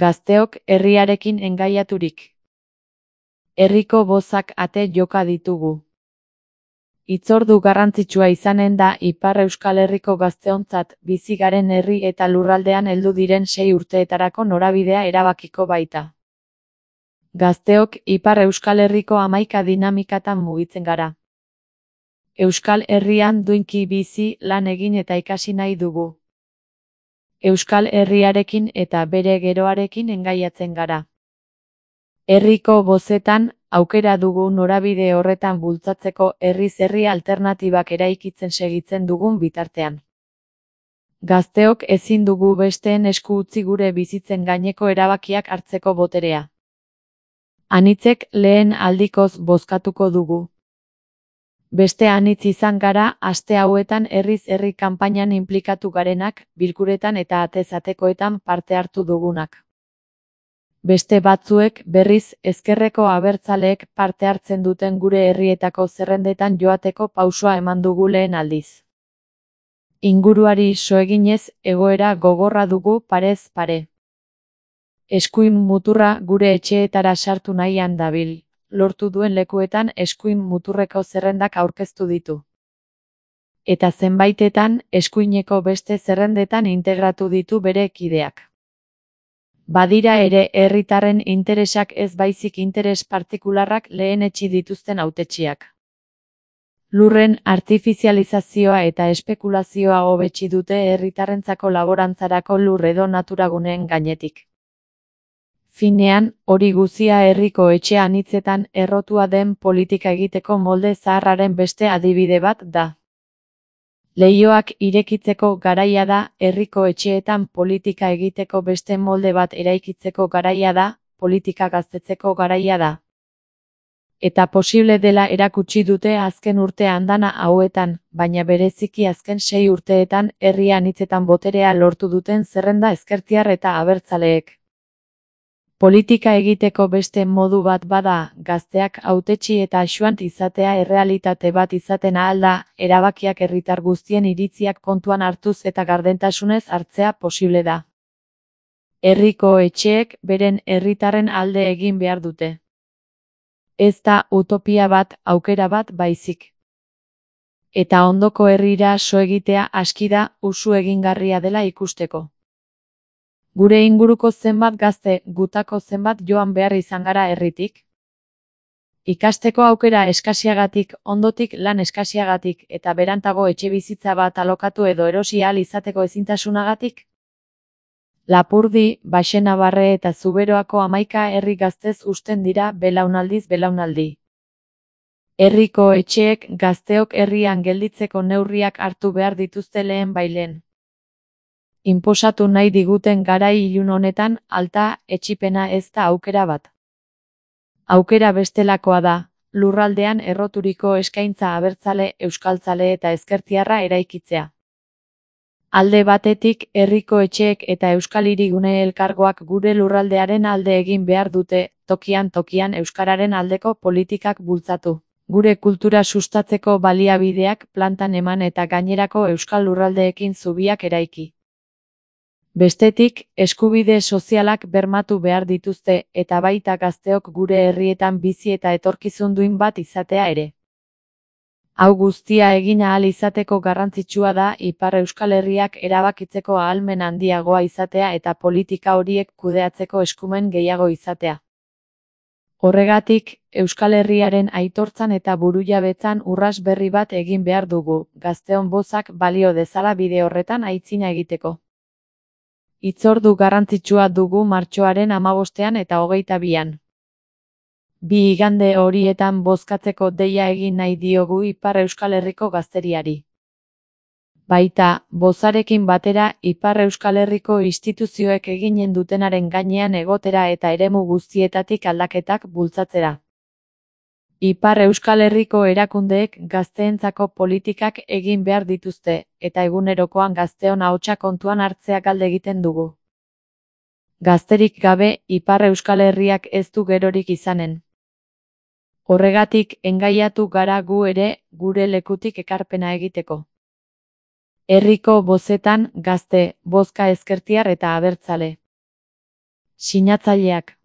Gazteok herriarekin engaiaturik. Herriko bozak ate joka ditugu. Hitzordu garrantzitsua izanen da Ipar Euskal Herriko gazteontzat bizi garen herri eta lurraldean heldu diren 6 urteetarako norabidea erabakiko baita. Gazteok Ipar Euskal Herriko 11 dinamikatan mugitzen gara. Euskal Herrian duinki bizi, lan egin eta ikasi nahi dugu. Euskal Herriarekin eta bere geroarekin engaiatzen gara. Herriko bozetan, aukera dugu norabide horretan bultzatzeko herriz herri alternatibak eraikitzen segitzen dugun bitartean. Gazteok ezin dugu besteen esku utzi gure bizitzen gaineko erabakiak hartzeko boterea. Anitzek lehen aldikoz bozkatuko dugu. Beste anitz izan gara aste hauetan herriz herri kanpainan inplikatu garenak, bilkuretan eta atez atekoetan parte hartu dugunak. Beste batzuek, berriz, ezkerreko abertzaleek parte hartzen duten gure herrietako zerrendetan joateko pausua eman dugu lehen aldiz. Inguruari so eginez, egoera gogorra dugu parez pare. Eskuin muturra gure etxeetara sartu nahian dabil, lortu duen lekuetan eskuin muturreko zerrendak aurkeztu ditu. Eta zenbaitetan, eskuineko beste zerrendetan integratu ditu bere kideak. Badira ere herritarren interesak ez baizik interes partikularrak lehenetsi dituzten hautetsiak. Lurren artifizializazioa eta espekulazioa hobetsi dute herritarrentzako laborantzarako lur edo naturaguneen gainetik. Finean, hori guzia herriko etxe anitzetan errotua den politika egiteko molde zaharraren beste adibide bat da. Leihoak irekitzeko garaia da, herriko etxeetan politika egiteko beste molde bat eraikitzeko garaia da, politika gaztetzeko garaia da. Eta posible dela erakutsi dute azken urte andana hauetan, baina bereziki azken 6 urteetan herri anitzetan boterea lortu duten zerrenda ezkertiar eta abertzaleek. Politika egiteko beste modu bat bada, gazteak hautetsi eta axuant izatea errealitate bat izaten ahal da, erabakiak herritar guztien iritziak kontuan hartuz eta gardentasunez hartzea posible da. Herriko etxeek beren herritarren alde egin behar dute. Ez da utopia bat, aukera bat baizik. Eta ondoko herrira so egitea aski da, usu egingarria dela ikusteko. Gure inguruko zenbat gazte, gutako zenbat joan behar izan gara herritik? Ikasteko aukera eskasiagatik, ondotik lan eskasiagatik, eta berantago etxebizitza bat alokatu edo erosi ahal izateko ezintasunagatik? Lapurdi, Baxenabarre eta Zuberoako 11 herri gaztez usten dira belaunaldiz belaunaldi. Herriko etxeek gazteok herrian gelditzeko neurriak hartu behar dituzte lehen bailen. Inposatu nahi diguten garai ilun honetan, alta etxipena ez da aukera bat. Aukera bestelakoa da, lurraldean erroturiko eskaintza abertzale, euskaltzale eta ezkertiarra eraikitzea. Alde batetik, herriko etxeek eta euskal hirigune elkargoak gure lurraldearen alde egin behar dute, tokian euskararen aldeko politikak bultzatu. Gure kultura sustatzeko baliabideak plantan eman eta gainerako euskal lurraldeekin zubiak eraiki. Bestetik, eskubide sozialak bermatu behar dituzte eta baita gazteok gure herrietan bizi eta etorkizun duin bat izatea ere. Hau guztia egin ahal izateko garrantzitsua da Ipar Euskal Herriak erabakitzeko ahalmen handiagoa izatea eta politika horiek kudeatzeko eskumen gehiago izatea. Horregatik, Euskal Herriaren aitortzan eta burujabetzan urrats berri bat egin behar dugu, gazteon bozak balio dezala bide horretan aitzina egiteko. Hitzordu garrantzitsua dugu martxoaren 15 eta 22an. Bi igande horietan bozkatzeko deia egin nahi diogu Ipar Euskal Herriko gazteriari. Baita, bozarekin batera Ipar Euskal Herriko instituzioek eginen dutenaren gainean egotera eta eremu guztietatik aldaketak bultzatzera. Ipar Euskal Herriko erakundeek gazteentzako politikak egin behar dituzte, eta egunerokoan gazteon ahotsa kontuan hartzea galde egiten dugu. Gazterik gabe, Ipar Euskal Herriak ez du gerorik izanen. Horregatik, engaiatu gara gu ere, gure lekutik ekarpena egiteko. Herriko bozetan, gazte, bozka ezkertiar eta abertzale. Sinatzaileak: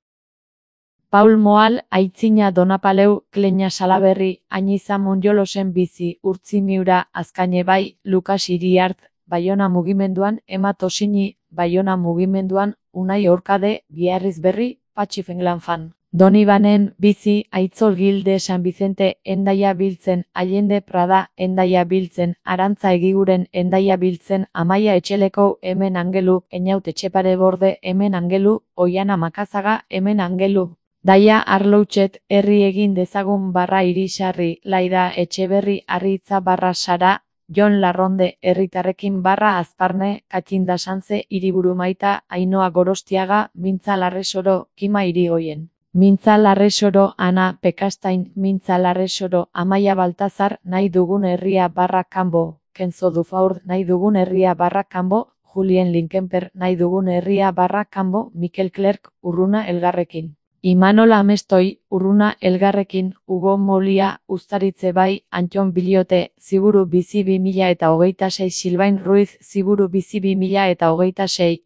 Paul Moal, Aitzina Donapaleu, Kleina Salaberri, Añiza Monjolosen Bizi, Urtzi Miura, Azkaine Bai, Lukas Iriart, Baiona Mugimenduan, Ema Tosini, Baiona Mugimenduan, Unai Orkade, Biarritz Berri, Patxi Fenglanfan. Donibanen Bizi, Aitzol Gilde San Vicente, Hendaia Biltzen, Allende Prada, Hendaia Biltzen, Arantza Egiguren, Hendaia Biltzen, Amaia Etxeleko, Hemen Angelu, Eñaut Etxepare Borde, Hemen Angelu, Oiana Makazaga, Hemen Angelu. Daia Arloutxet, herri egin dezagun /irisarri, Laida Etxeberri Arritza /Sara, Jon Larronde, herritarrekin /Azparne, Katxinda Sanze, Hiriburu Maita, Ainhoa Gorostiaga, Mintza Larresoro, Kima Irigoyen. Mintza Larresoro, Ana Pekastain, Mintza Larresoro, Amaia Baltazar, Nahi dugun herria /Kanbo, Kenzo Dufaur, Nahi dugun herria /Kanbo, Julien Linkenper, Nahi dugun herria /Kanbo, Mikel Klerk, Urruna Elgarrekin. Imanol Amestoi, Urruna Elgarrekin, Hugo Molia, Uztaritze Bai, Antxon Biliote, Ziburu Bizi 2026, Silvain Ruiz, Ziburu Bizi 2026,